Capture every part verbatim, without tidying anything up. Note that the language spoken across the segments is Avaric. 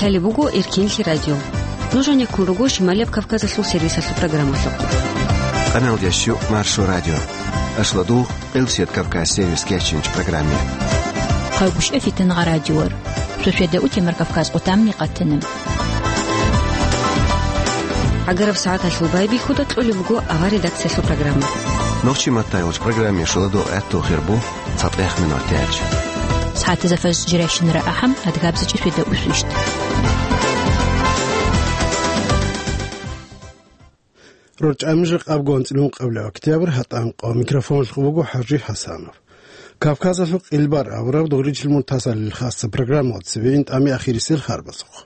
Лъалеб буго Эркенлъи радио. Нуж гьанеккун руго Шималияб Кавказалъул сервисалъул программалъухъ. Къаналдящу Маршо радио. Ашладугъ Элсет Кавказ сервис кечинч программе. Хъагушев Фитнагъа радиор. Сосведа утемар Кавказ къутамни къатана. ГӀагараб сагӀаталъул байбихьуда кьолеб буго авар редакциялъул программа. Нохчи маттайолч программе шуладо гӀатту хирбу цатӀех минутач. СагӀатазда фаз жиращинара ахӀам, адгабзачи сосведа усвищт. РорчӀамижа къабгу анцӀилун къабла октябрь, гьатӀан къо микрофонлъ буго ХӀажи ХӀасанов. Кавказалъул къилбар авраб дугъричил муртазалил хасса программалда цебе ин тӀами ахирисел харбазухъ.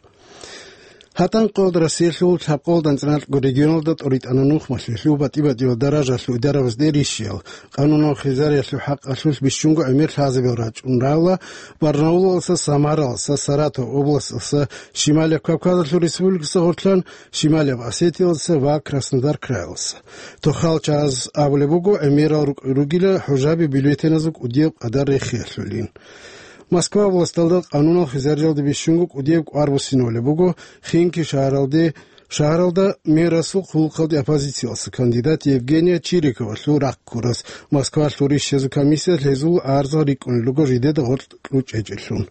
ГьатӀан къоялда Россиялъул лъабкъоялда анцӀиналъго регионалда тӀоритӀана нухмалъулъул батӀи-батӀиял даражалъул идарабазде рищиял, къанунал хизариялъул хӀакъалъулъ бищунго гӀемер лъазабиял рачӀун рала, Барнаулалса, Самаралса, Саратов областалса, Шималияб Кавказалъул республикаса гъорлъан, Шималияб Осетиялса ва Краснодар краялса. Тохал чагӀаз абулеб буго, гӀемерал рукӀ-, ругила хӀужаби бюллетеназул кӀудияб къадар рехиялъулин. Москва областалда къанунал хизариялде бищунго кӀудияб кӀвар буссинавулеб буго, Химки шагьаралде, шагьаралда мэрасул хъулухъалде оппозициялса кандидат Евгения Чириковалъул рахъ ккурас Москвалъул рищазул комиссиялъ гьезул гӀарзал рикӀкӀунел руго жидеда гъоркь кьучӀечӀелъун.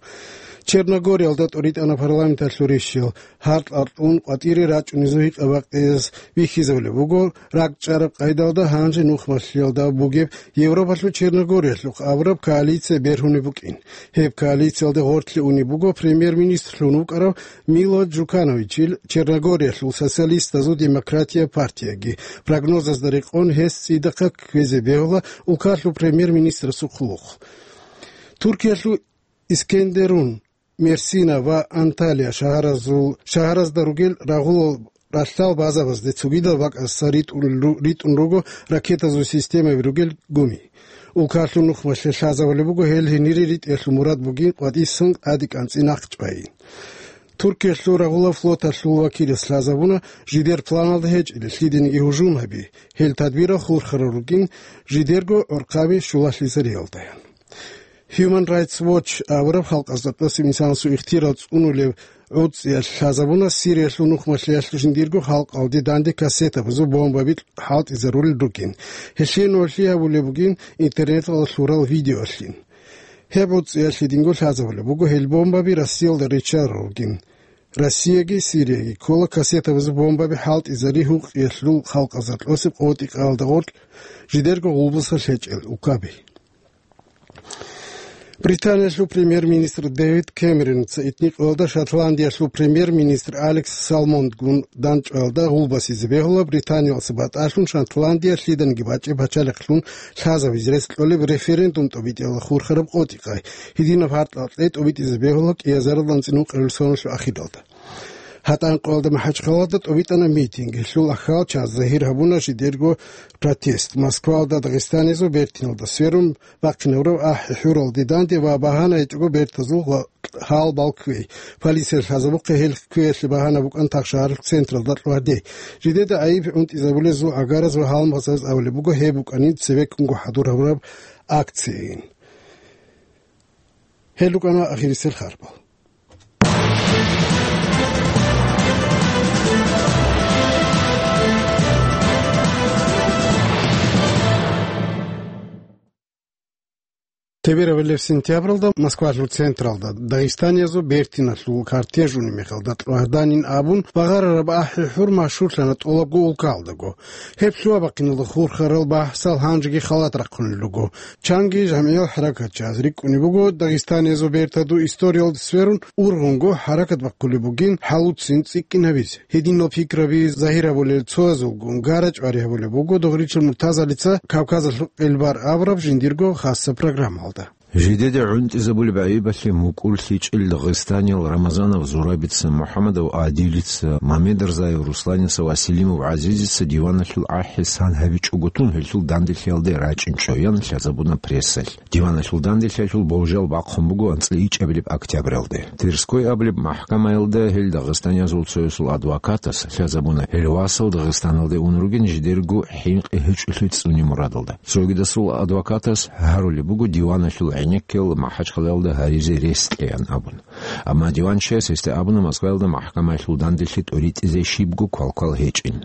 Черногориялда тӀоритӀана парламенталъул рищал, гьаркь-аркьун къватӀире рачӀунезул гьикъа-бакъиялъ бихьизабулеб буго, ракӀчӀараб къайдалда гьанже нухмалъиялда бугеб Европалъул Черногориялъухъ абураб коалиция бергьунеб букӀин. Гьеб коалициялде гъорлъе унеб буго премьер-министрлъун вукӀарав Мило Джукановичил Черногориялъул социалистазул демократия партияги. Прогнозазда рекъон гьес цӀидахъа кквезе бегьула улкалъул премьер-министрасул хъулухъ. Туркиялъул Искендерун, Мерсина ва Анталия шагьаразул, шагьаразда ругел рагъулал ралъдал базабазде цогидал бакӀасда ритӀун ру-, ритӀун руго ракетазул системаби ругел гуми. Улкалъул нухмалъе лъазабулеб буго гьел гьенире ритӀиялъул мурад бугин къватӀисан тӀаде кӀанцӀи нахъ чӀвайин. Туркиялъул рагъулаб флоталъул вакилас лъазабуна, жидер планалда гьечӀила лъидениги гьужум гьаби, гьел тадбирал хурхарал ругин, жидерго гӀорхъаби щулалъизариялдаян. Human Rights Watch абураб халкъазда тӀаса инсанасул ихтияр цӀунулеб гӀуцӀиялъ лъазабуна Сириялъул нухмалъиялъ жиндирго халкъалде данде кассетабазул бомбаби хӀалтӀизарулел ругин. Гьелъие нолъи гьабулеб бугин интернеталда лъурал видеоялъин. Гьеб гӀуцӀиялъ гьединго лъазабулеб буго гьел бомбаби Россиялда риччарал ругин. Россияги Сирияги ккола кассетабазул бомбаби хӀалтӀизари гьукъиялъул халкъазда тӀасеб къотӀи-къаялда гъоркь жидерго гъулбуса лъечӀел улкаби. Британиялъул премьер-министр Дэвид Кэмероница итникъоялда Шотландиялъул премьер-министр Алекс Салмондгун данчӀваялда гъулбасизе бегьула Британиялдаса батӀалъун Шотландия лъиданиги бачӀеб пачалихълъун лъазабизе рес кьолеб референдум тӀобитӀиялда хурхараб къотӀи-къай, гьединаб гьаркьа кьей тӀобитӀизе бегьула кӀиазарилан анцӀила ункъоялда соналъул ахиралда. ГьатӀан къоялда МахӀачхъалада тӀобитӀана митинг. Гьелъул ахал чаз загьир гьабуна жидерго протест. Москвалда Дагъистанизул бертиналда сверун бахъинабураб ахӀи-хӀуралде данде ва багьана гьечӀого бертазул гъа-, гьал балквей. Полиция лъазабухъе гьел кквеялъе багьана букӀан тахшагьаралъ централда кьвардей. Жидеда гӀайиб гӀунтӀизабулезул гӀагараз ва гьалмагъзаз абулеб буго гьеб букӀанин цебеккунго хӀадур гьабураб акцияйин. Гьел рукӀана ахирисел харбал. Теберабилеб сентябралда Москвалъул централда дагъистаниязул бертиналъул кортеж унеб мехалда кьвагьданин абун, багъарараб ахӀи-хӀур машгьурлъана тӀолабго улкалдаго. Гьеб лъугьа-бахъиналда хурхарал бахӀсал гьанжеги халат рахъунел руго. Чанги жамгӀиял хӀаракатчияз рикӀкӀунеб буго, дагъистаниязул бертаду историялда сверун ургъунго хӀаракат бахъулеб бугин хӀалуцин цӀикӀкӀинабизе. Гьединал пикраби загьир гьабулел цоязулгун гара-чӀвари гьабулеб буго Дугъричил Муртазалица Кавказалъул къелбар абураб жиндирго хасса программалда. Жидеде гӀунтӀизабулеб гӀайибалъе мукӀурлъичӀел дагъистаниял Рамазанов Зурабица, МухӀамадов Адилица, Мамедрзаев Русланица ва Селимов ГӀазизица диваналъул ахӀи сан гьабичӀого тун гьелъул данделъиялде рачӀинчӀо, ян лъазабуна прессалъ. Диваналъул данделъиялъул болжал бахъун буго анцӀила ичӀабилеб октябралде. Тверской абулеб махӀкамаялда гьел дагъистаниязул цоясул адвокатас лъазабуна, гьел васал Дагъистаналде ун ругин жидерго хӀинкъи гьечӀолъи цӀуни мурадалда. Цогидасул адвокатас гьарулеб буго диваналъул гӀенеккел МахӀачхъалаялда гьаризе рес кьеян абун. Амма диванчияс гьесда абуна Москваялда махӀкамаялъул данделъи тӀоритӀизе щибго квалквал гьечӀин.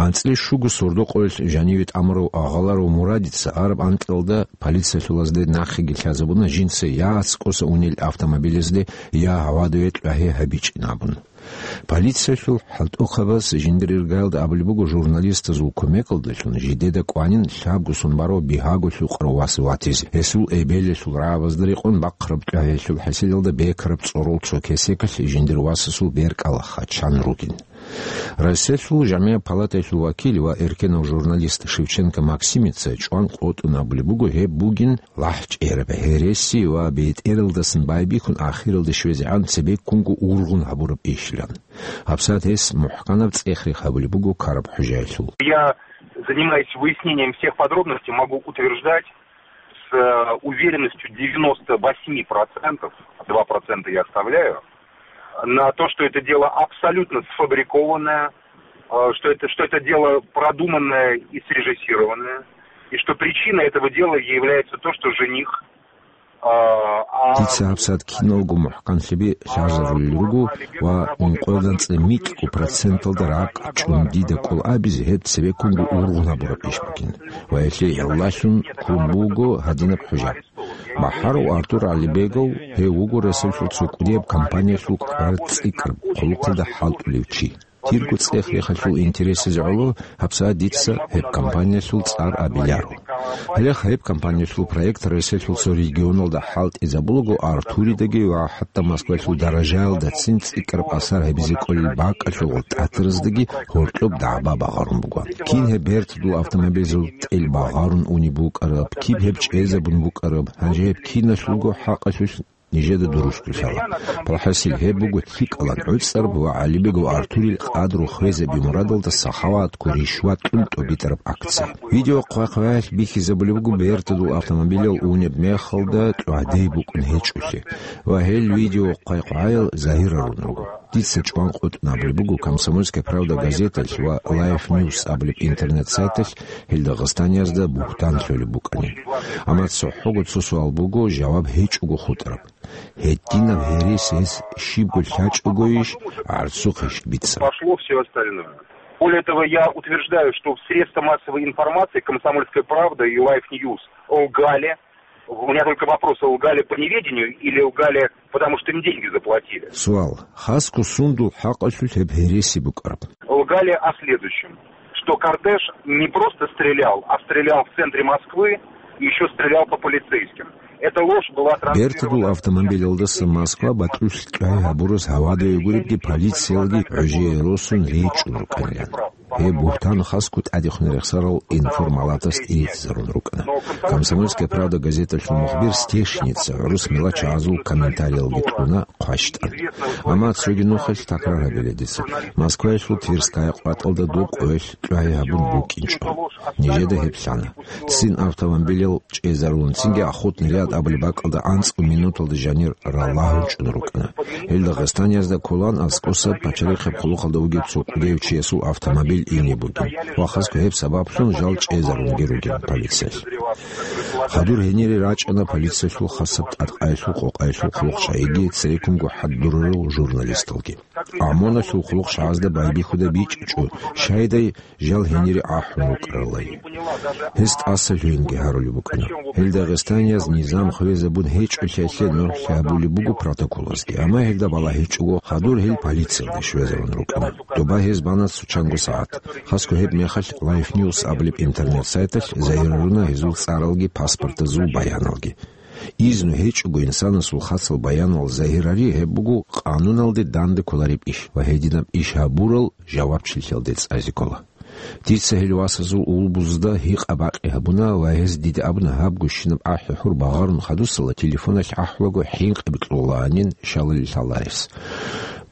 АнцӀила щуго сордо-къоялъ жаниве тӀамурав Агъаларов Мурадица араб анкьалда полициялъулазде нахъеги лъазабуна жинца я аскӀоса унел автомобилезде, я гьавадаве кьвагьи гьабичӀин абун. Полициялъул хӀалтӀухъабаз жиндир иргаялда абулеб буго журналистазул кумекалдалъун жидеда кӀванин лъабго сон барав бигьаго лъукъарав вас ватизе, гьесул эбелалъул рагӀабазда рекъон бахъараб кьвагьиялъул хӀасилалда бекараб цӀорол цо кесекалъ жиндир васасул беркӀал хачан ругин. Россиялъул жамгӀияб палатаялъул вакил ва эркенав журналист Шевченко Максимица чӀван къотӀун абулеб буго, гьеб бугин лахӀчӀераб гьереси ва бетӀералдасан байбихьун ахиралде щвезегӀан цебеккунго ургъун гьабураб ишилан. ГьабсагӀат гьес мухӀканаб цӀех-рех гьабулеб буго Караб ХӀужаялъул. Я, занимаясь выяснением всех подробностей, могу утверждать с, э, уверенностью девяносто восемь процентов, два процента я оставляю, на то, что это дело абсолютно сфабрикованное, э, что это, что это дело продуманное и срежиссированное, и что причиной этого дела является то, что жених, э, а, Дица гьабсагӀат киналго мухӀканлъи лъазарулел руго ва ункъоялда анцӀила микьго проценталда ракӀ чӀун дида кӀол абизе гьеб цебеккунго ургъун гьабураб иш бугин ва гьелъие гӀиллалъун ккун буго гьадинаб хӀужа. БахӀарав Артур ГӀалибегов, гьев вуго Россиялъул цо кӀудияб компаниялъул кӀвар цӀикӀкӀараб хъулухъалда хӀалтӀулев чи. Тирго цӀех-рехалъул интересазе гӀоло гьабсагӀат дица гьеб компаниялъул цӀар абиларо. Гьеле гьеб компаниялъул проект Россиялъул цо регионалда хӀалтӀизабулаго Артуридаги ва хӀатта Москваялъул даражаялдацин цӀикӀкӀараб асар гьабизе кӀолел бакӀалъул гъоркь тӀатараздаги гьоркьоб дагӀба багъарун буго. Кин гьеб бертадул автомобилзул тӀел багъарун унеб букӀараб, киб гьеб чӀезабун букӀараб, гьанже гьеб киналъулго хӀакъалъулъ нижеда дурусго лъала. Палхасил гьеб буго лъикӀалан гӀуцӀараб ва ГӀалибегов Артурил къадру хвезаби мурадалда сахаватго ришват кьун тӀобитӀараб акция. Видео хъвай-хъваялъ бихьизабулеб буго бертадул автомобилал унеб мехалда кьвагьдей букӀун гьечӀолъи ва гьел видео хъвай-хъваял загьирарун руго. Дица чӀван къотӀун абулеб буго «Комсомольская правда» газеталъ ва «Лайф Ньюс» абулеб интернет-сайталъ гьел дагъистаниязда бугьтан лъолеб букӀанин. Амма цохӀого цо суал буго, жаваб гьечӀого хутӀараб. Гьединаб гьересиялъ щибго лъачӀогойищ, гӀарцухъищ бица? Пошло всё остальное. Более того, я утверждаю, что в средства массовой информации «Комсомольская правда» и «Лайф Ньюс» лгали. У меня только вопрос: лгали по неведению или лгали, потому что им деньги заплатили? Суал. Хасго сундул хӀакъалъулъ гьеб гьереси букӀараб? Лгали о следующем, что кортеж не просто стрелял, а стрелял в центре Москвы и ещё стрелял по полицейским. Эта ложь была транслирована. Бертадул автомобилалдаса Москва бакьулъ кьвай гьабурас гьавадаве гуребги полициялги гӀужие росун речӀчӀун рукӀанилан. Гьеб бугьтан хасго тӀадехун рехсарал информалатас ирицизарун рукӀана. «Комсомольская правда» газеталъул мухбир Стешница гӀурус мелачагӀазул комментариялги кьуна хъващтӀан. Амма цоги нухалъ такрар гьабила дица. Москваялъул Тверская къватӀалда доб къоялъ кьвагьи гьабун букӀинчӀо. Нижеда гьеб лъана. Цин автомобилал чӀезарулин, цинги Охотный ряд абулеб бакӀалда анцӀго минуталда жанир ралагьун чӀун рукӀана. Гьел Дагъистаниязда кколаан аскӀоса пачалихъеб хъулухъалда вугев цо кӀудияв чиясул автомобиль ине бугин ва хасго гьеб сабаблъун жал чӀезарунги ругин полициялъ. Хадур гьенире рачӀана полициялъул хасаб тӀадкъаялъул къокъаялъул хъулухъчагӀиги, цереккунго хӀадурарал журналисталги. ОМОНалъул хъулухъчагӀазда байбихьуда бичӀчӀо, щайдай жал гьенире ахӀун вукӀаралай. Гьес тӀаса лъугьинги гьарулеб букӀана. Гьел дагъистанияз низам хвезабун гьечӀолъиялъе нугӀлъи гьабулеб буго протоколазги, амма гьелда балагьичӀого хадур гьел полициялде щвезарун рукӀана. Доба гьез бана цо чанго сагӀат. Хасго гьеб мехалъ Лайф Ньюс абулеб интернет-сайталъ загьируна гьезул цӀаралги паспортазул баяналги. Изну гьечӀого инсанасул хасал баянал загьирари гьеб буго къануналде данде кколареб иш ва гьединаб иш гьабурал жавабчилъиялде цӀазе ккола. Дица гьел васазул улбузда гьикъа-бакъи гьабуна ва гьез дида абуна гьаб гущинаб ахӀи-хӀур багъарун хадусала телефоналъ ахӀулаго хӀинкъи бикьулаанин шалали лъаларес.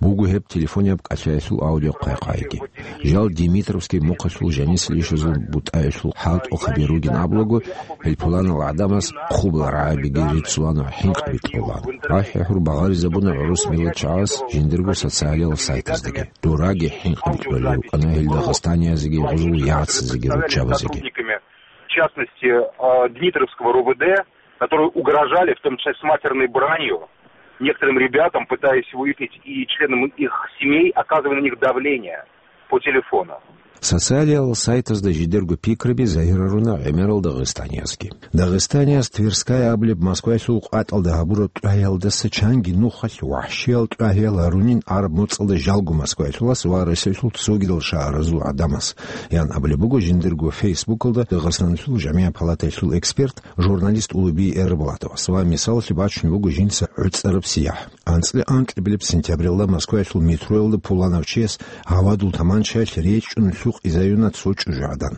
Буго гьеб телефонияб кӀалъаялъул аудиохъвай-хъвайги. Жал Димитровский мухъалъул жанисел ишазул бутӀаялъул хӀалтӀухъаби ругин абулаго, гьел пуланал гӀадамас хъубал рагӀабиги риццулаан ва хӀинкъи бикьулаан. АхӀи-хӀур багъаризабуна гӀурус миллатчагӀаз жиндирго социалиял сайтаздаги. Дураги хӀинкъи бикьулел рукӀана гьел дагъистаниязеги гъузул яцазеги руччабазеги. В частности, э, Дмитровского РОВД, которые угрожали, в том числе с матерной бранью, некоторым ребятам, пытаясь выяснить и членам их семей, оказывая на них давление по телефону. Социалиял сайтазда жидерго пикраби загьируна гӀемерал дагъистаниязги. Дагъистанияз Тверская абулеб Москваялъул къватӀалда гьабураб тӀагьиялдаса чанги нухалъ вахӀщиял тӀагьиял гьарунин араб моцӀалда жалго Москваялъулас ва Россиялъул цогидал шагьаразул гӀадамаз, ян абулеб буго жиндирго Фейсбукалда Дагъистаналъул жамигӀат палатаялъул эксперт, журналист Улуби Эрбулатовас ва мисалалъе бачун буго жинца гӀуцӀараб сияхӀ. АнцӀила анкьабилеб сентябралда Москваялъул метроялда пуланав чияс гьавадул таманчаялъ речӀчӀун лъукъизаюна цо чӀужугӀадан.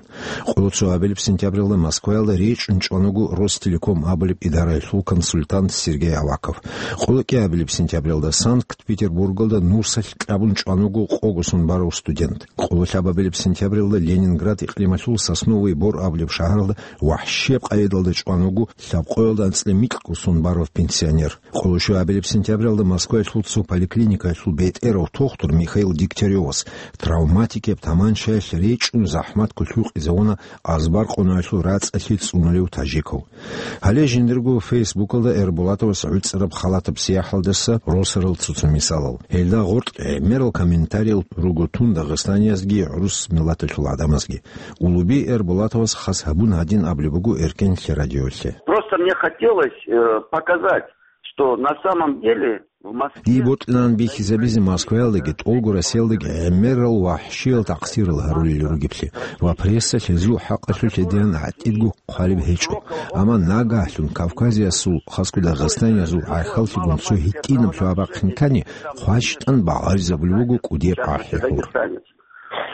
Къоло цоабилеб сентябралда Москваялда речӀчӀун чӀван вуго Ростелеком абулеб идараялъул консультант Сергей Аваков. Къоло кӀиабилеб сентябралда Санкт-Петербургалда нусалъ кьабун чӀван вуго къого сон барав студент. Къоло лъабабилеб сентябралда Ленинград икълималъул Сосновый Бор абулеб шагьаралда вахӀщияб къайдалда чӀван вуго лъабкъоялда анцӀила микьго сон барав пенсионер. Къоло щуабилеб сентябралда Москваялъул цо поликлиникаялъул бетӀерав тухтур Михаил Дегтяревас травматикияб таманчаялъ речӀчӀун захӀматго лъукъизавуна азбар къонаялъул рацӀцӀалъи цӀунулев тажикав. Гьале жиндирго Фейсбукалда Эрбулатовас гӀуцӀараб халатаб сияхӀалдаса росарал цо-цо мисалал. Гьелда гъоркь гӀемерал комментариял руго тун дагъистаниязги гӀурус миллаталъул гӀадамазги. Улуби Эрбулатовас хас гьабун гьадин абулеб буго Эркенлъи радиолъе. Просто мне хотелось, э, показать, что на самом деле в Москве... Дие бокьилаан бихьизабизе Москваялдаги, тӀолго Россиялдаги гӀемерал вахӀщиял такъсирал гьарулел ругеблъи ва прессалъ гьезул хӀакъалъулъ гьединан гӀатӀидго хъвалеб гьечӀо. Амма нагагьлъун Кавказиясул, хасго дагъистаниязул гӀахьаллъигун цо гьитӀинаб лъугьа-бахъин ккани, хъващтӀан багъаризабулеб буго кӀудияб гӀахьи-гьур.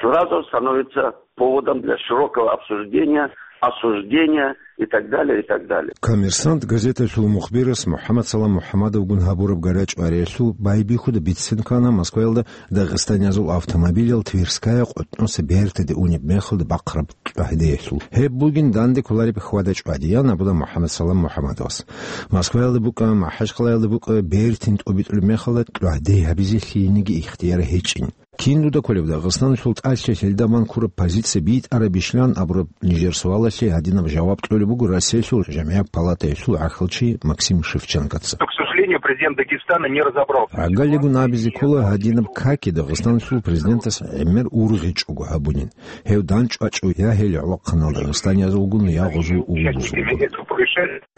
Сразу становится поводом для широкого обсуждения, осуждения и так далее, и так далее. Коммерсант газеталъул мухбирас МухӀаммад Салам МухӀаммадовгун гьабураб гарачӀ-вариялъул байбихьуда бицин ккана Москваялда дагъистаниязул автомобилал Тверская къотӀноса бертиде унеб мехалда бахъараб кьвагьдеялъул. Гьеб бугин данде кколареб хьвада-чӀвади, ян абуна МухӀаммад Салам МухӀаммадовас. Москваялда букӀа, МахӀачхъалаялда букӀа бертин тӀобитӀулеб мехалда кьвагьде гьабизе лъиениги ихтияр гьечӀин. Кин дуда кколеб Дагъистаналъул тӀалъи гьелда ман ккураб позиция битӀарабищилан абураб нижер суалалъе гьадинаб жаваб кьолеб буго Россиялъул жамигӀат палатаялъул гӀахьалчи Максим Шевченкоца. К сожалению, президент Дагестана не разобрался. ГӀагарлъигун абизе ккола гьадинаб каки Дагъистаналъул президентас гӀемер ургъичӀого гьабунин. Гьев данчӀвачӀо я гьел гӀолохъанал дагъистаниязулгун, я гъозул улузулгун.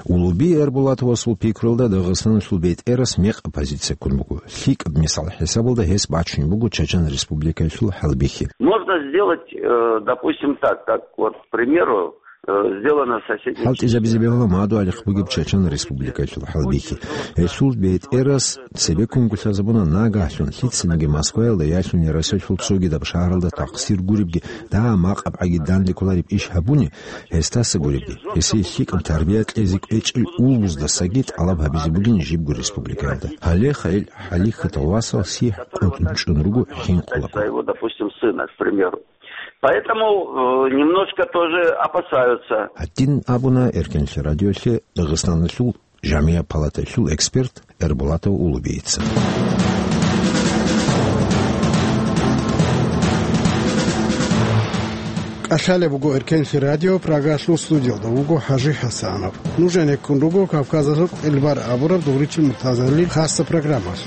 Улуби Эрбулатовасул пикруялда Дагъистаналъул бетӀерас мекъаб позиция ккун буго. ЛъикӀаб мисал хӀисабалда гьес бачун буго Чачан Республикаялъул хӀалбихьи. Можно сделать, э, допустим, так, как вот, к примеру, э, сделано в соседних... ХӀалтӀизабизе бегьула мадугьалихъ бугеб Чачан Республикаялъул хӀалбихьи. Гьелъул бетӀерас цебеккун гулъазабуна нагагьлъун лъицаниги Москваялда яхӀлъуни Россиялъул цогидаб шагьаралда такъсир гуребги, дагьа макъаб гӀаги данде кколареб иш гьабуни, гьесдаса гуребги, гьесие лъикӀаб тарбия кьезе кӀвечӀел улбуздасаги тӀалаб гьабизе бугин жибго республикаялда. Гьале хъайил хӀалихьатал васал сихӀ къотӀун чӀун руго хӀинкъулаго. Своего, допустим, сына, к примеру. Поэтому, э, немножко тоже опасаются. Гьадин абуна Эркенлъи радиолъе Дагъистаналъул жамигӀат палатаялъул эксперт Эрбулатов Улубийица. КӀалъалеб буго Эркенлъи радио, Прагалъул студиялда вуго ХӀажи ХӀасанов. Нуж гӀенеккун руго Кавказалъул кьилбар абураб Дугъричил Муртазалил хасса программалъ.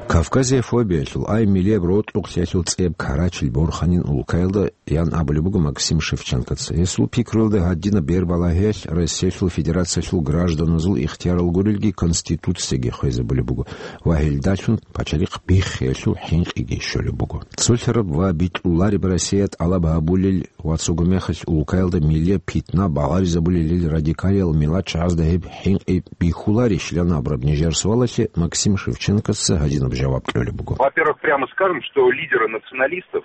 Кавказияб фобиялъул, ай милияб рокьукълъиялъул цӀияб карачил борханин улкаялда, ян абулеб буго Максим Шевченкоца. Гьесул пикруялда гьадинаб бербалагьиялъ Россиялъул Федерациялъул гражданазул ихтиярал гурелги Конституцияги хвезабулеб буго ва гьелдалъун пачалихъ биххиялъул хӀинкъиги щолеб буго. Цолъараб ва битӀулареб Россия тӀалаб гьабулел ва цого мехалъ улкаялда милияб питна багъаризабулелил радикалиял миллатчагӀазда гьеб хӀинкъи бихьуларищ, ян абураб нижер суалалъе Максим Шевченкоца гьадинаб жаваб кьолеб буго. Во-первых, прямо скажем, что лидеры националистов,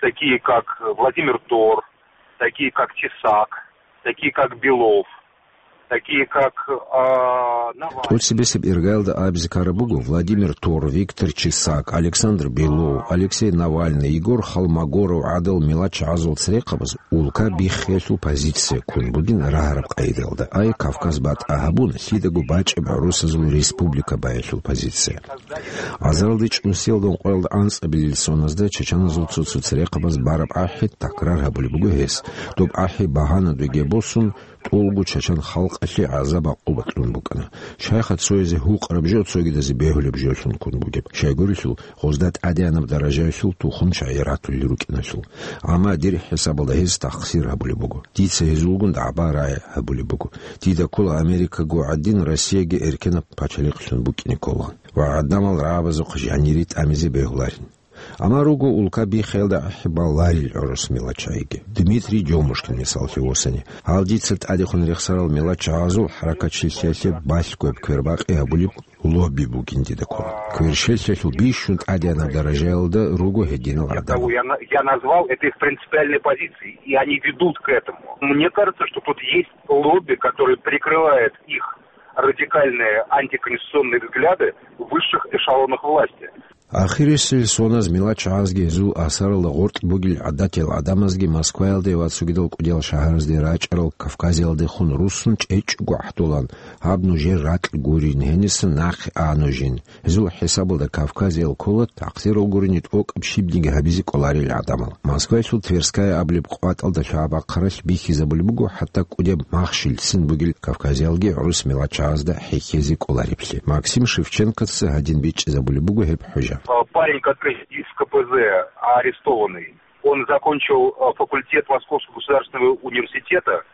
такие как Владимир Тор, такие как Тесак, такие как Белов, такие как, а, Навальный. ТӀоцебесеб иргаялда абизе ккараб буго, Владимир Тор, Виктор Чесак, Александр Белов, Алексей Навальный, Егор Холмогоров гӀадал мелачагӀазул церехъабаз улка биххиялъул позиция ккун бугин рагьараб къайдаялда, ай Кавказ батӀа гьабун, лъидаго бачӀеб гӀурусазул республика баялъул позиция. Азаралде чӀунсиялда ункъоялда анцӀабилел соназда чачаназул цо-цо церехъабаз бараб ахӀи такрар гьабулеб буго гьес. Доб ахӀи багьана дуге босун, тӀолго чачан халкъалъе гӀазаб-гӀакъуба кьун букӀана. Щайха цоязе гьукъараб жо цогидазе бегьулеб жолъун ккун бугеб, щайгурелъул гъозда тӀадегӀанаб даражаялъул тухум-чагӀи ратулел рукӀиналъул. Амма дир хӀисабалда гьез тахсир гьабулеб буго. Дица гьезулгун дагӀба-рагӀи гьабулеб буго. Дида ккола Америкаго гӀадин Россияги эркенаб пачалихълъун букӀине ккола. Ва гӀадамал рагӀабазухъ жанири тӀамизе бегьуларин. Амма руго улка биххиялда ахӀи баларил гӀурус мелачагӀиги. Дмитрий Дёмушкин мисаллъи восани. Гьал дица тӀадехун рехсарал мелачагӀазул хӀаракатчилъиялъе балъгояб квербакъи гьабулеб лобби бугин дида ккола. Кверщелъиялъул бищун тӀадегӀанаб даражаялда руго гьединал гӀадамал. Я на-, я назвал, это их принципиальные позиции, и они ведут к этому. Мне кажется, что тут есть лобби, которое прикрывает их радикальные антиконституционные взгляды в высших эшелонах власти. Ахирисел соназ мелачагӀазги гьезул асаралда гъоркь бугел гӀадатиял гӀадамазги Москваялде ва цогидал кӀудиял шагьаразде рачӀарал Кавказиялдехун руссун чӀечӀого гӀахӀдолан, гьаб нужер ракь гурин, гьениса нахъе а нужин. Гьезул хӀисабалда Кавказиял ккола, такъсирал гурони, тӀокӀаб щибниги гьабизе кӀоларел гӀадамал. Москваялъул Тверская абулеб къватӀалда лъабабахъаралъ бихьизабулеб буго хӀатта кӀудеб махщелцин бугел Кавказиялги гӀурус мелачагӀазда хӀехьезе кӀолареблъи. Максим Шевченкоца гьадин бичӀчӀизабулеб буго гьеб хӀужа. Парень, который из К П З арестованный, он закончил, э, факультет Московского государственного университета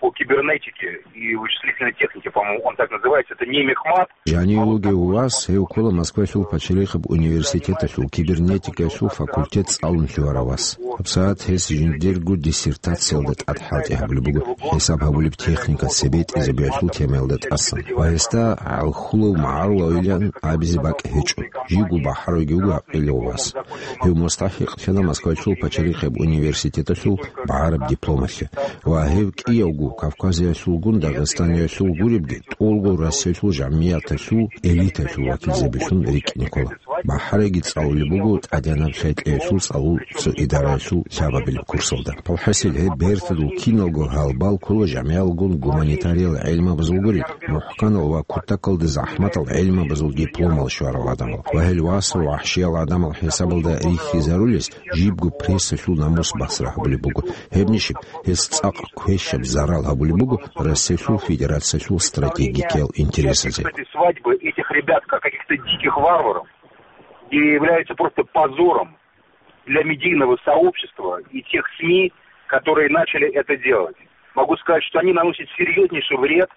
по кибернетике и вычислительной технике, по-моему, он так называется. Это не мехмат. Жанив вугев вас, гьев ккола Москвалъул пачалихъаб университеталъул кибернетикаялъул факультет цӀалун лъугьарав вас. ГьабсагӀат гьес жиндирго диссертациялда тӀад хӀалтӀи гьабулеб буго, хӀисаб гьабулеб техника цебетӀезабиялъул темаялда тӀасан. Ва гьесда гӀалхьулав магӀарулавилан абизе бакӀ гьечӀо, живго бахӀаравги вуго гьакъилев вас. Гьев мустахӀикълъана Москвалъул пачалихъаб университеталъул багӀараб дипломалъе ва гьев кӀиявго Кавказиялъулгун Дагъистаниялъул гуребги, тӀолго Россиялъул жамияталъул элиталъул вакилзабилъун рикӀкӀине ккола. БахӀарайги цӀалулеб буго ТӀадегӀанаб лъай-кьеялъул цӀалул цо идараялъул лъабабилеб курсалда. Палхасил гьеб бертадул киналго гьалбал ккола жамигӀалгун гуманитариял гӀелмабазул гурел, мухӀканал ва кутакалда захӀматал гӀелмабазул дипломал щварал гӀадамал ва гьел васал вахӀшиял гӀадамал хӀисабалда рихьизарулес жибго прессалъул намус басра гьабулеб буго. Гьеб нижеб гьес цӀакъ квешаб зарал гьабулеб буго Россиялъул Федерациялъул стратегикиял интересазе. Эти свадьбы этих ребят, как каких-то диких варваров, и являются просто позором для медийного сообщества и тех СМИ, которые начали это делать. Могу сказать, что они наносят серьезнейший вред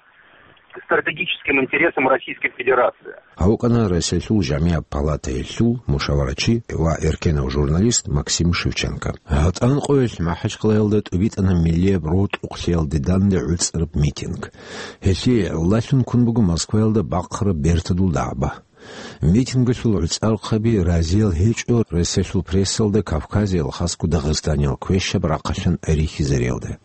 стратегическим интересам Российской Федерации. Гьавкъана Россиялъул жамигӀаб палатаялъул мушаварачи ва эркенав журналист Максим Шевченко. ГьатӀан къоялъ МахӀачхъалаялда тӀубитӀана миллияб рокьукълъиялде данде гӀуцӀараб митинг. Гьелъие гӀолалъун ккун буго Москваялда бахъараб бертадул дагӀба. Митингалъул гӀуцӀархъаби разиял гьечӀо Россиялъул прессалда Кавказиял, хасго Дагъистаниял квешаб рахъалъан рихьизариялда.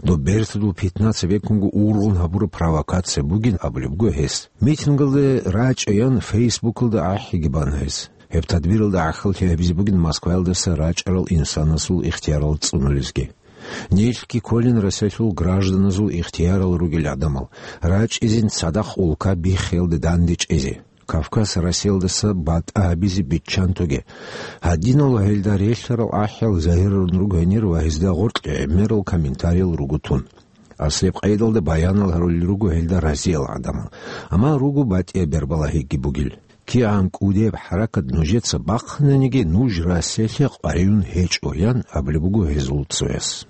Доб бертадул питна цебеккунго ургъун гьабураб провокация бугин абулеб буго гьес. Митингалде рачӀаян Фейсбукалда ахӀиги бан гьес. Гьеб тадбиралда гӀахьаллъи гьабизе бугин Москваялдаса рачӀарал инсанасул ихтиярал цӀунулезги. Нилъги кколин Россиялъул гражданазул ихтиярал ругел гӀадамал, рачӀизин цадахъ улка биххиялде дандечӀезе. Кавказ Россиялдаса батӀа гьабизе биччан тоге. Гьадинал гьелда релълъарал ахӀиял загьирарун руго гьенир ва гьезда гъоркь гӀемерал комментариял руго тун. Аслияб къайдалда баянал гьарулел руго гьелда разиял гӀадамал. Амма руго батӀияб бербалагьиги бугел. КигӀан кӀудеб хӀаракат нужеца бахъананиги, нуж Россиялъе къваригӀун гьечӀо, ян абулеб буго гьезул цояс.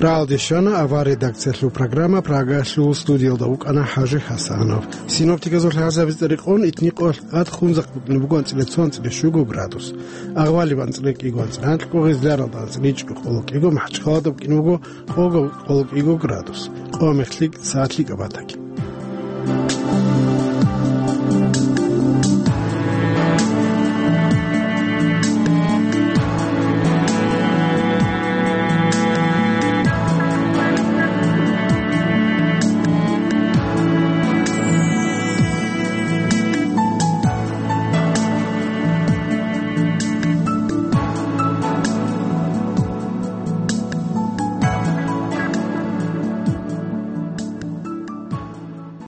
Рагьалде щвана авар редакциялъул программа. Прагалъул студиялда вукӀана ХӀажи ХӀасанов. Синоптиказул лъазабиз тӀерикъун итникъоялъ тӀад хунзахъ букӀине буго анцӀила цо, анцӀила щуго градус. Агъвалиб анцӀила кӀиго, анцӀила анкьго, гъезларалда анцӀила ичӀго, къоло кӀиго, МахӀачхъаладаб букӀине буго къого, къоло кӀиго градус. Къо-мех лъикӀ, сагӀат лъикӀаб батаги.